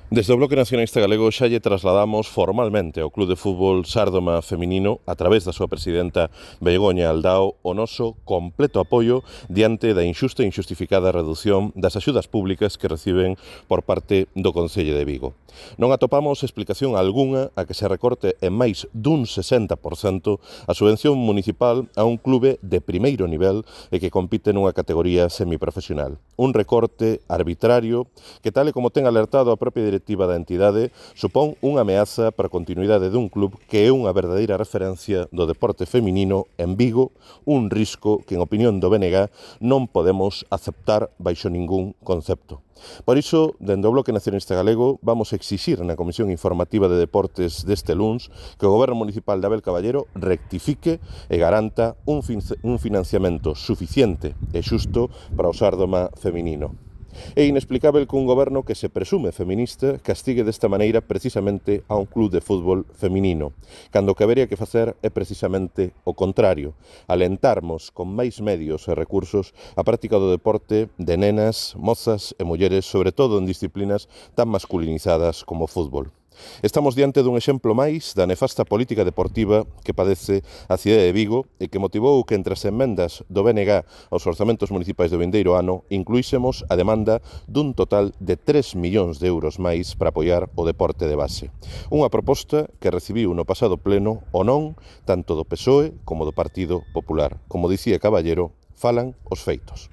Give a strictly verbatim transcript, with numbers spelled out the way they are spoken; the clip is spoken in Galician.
Desde o Bloque Nacionalista Galego xa lle trasladamos formalmente ao Club de Fútbol Sárdoma Feminino, a través da súa presidenta Begoña Aldao, o noso completo apoio diante da inxusta e inxustificada reducción das axudas públicas que reciben por parte do Concello de Vigo. Non atopamos explicación algunha a que se recorte en máis dun sesenta por cento a subvención municipal a un clube de primeiro nivel e que compite nunha categoría semiprofesional. Un recorte arbitrario que, tal e como ten alertado a propia directiva da entidade, supón unha ameaza para a continuidade dun club que é unha verdadeira referencia do deporte feminino en Vigo, un risco que, en opinión do B N G, non podemos aceptar baixo ningún concepto. Por iso, dende o Bloque Nacionalista Galego, vamos a exixir na Comisión Informativa de Deportes deste luns que o Goberno Municipal de Abel Caballero rectifique e garanta un, fin un financiamento suficiente e xusto para o Sárdoma feminino. É inexplicável que un goberno que se presume feminista castigue desta maneira precisamente a un club de fútbol feminino, cando o que habería que facer é precisamente o contrario, alentarmos con máis medios e recursos a práctica do deporte de nenas, mozas e mulleres, sobre todo en disciplinas tan masculinizadas como o fútbol. Estamos diante dun exemplo máis da nefasta política deportiva que padece a cidade de Vigo e que motivou que entre as emendas do B N G aos orzamentos municipais do vindeiro ano incluísemos a demanda dun total de tres millóns de euros máis para apoiar o deporte de base. Unha proposta que recibiu no pasado pleno o non tanto do P S O E como do Partido Popular. Como dicía Caballero, falan os feitos.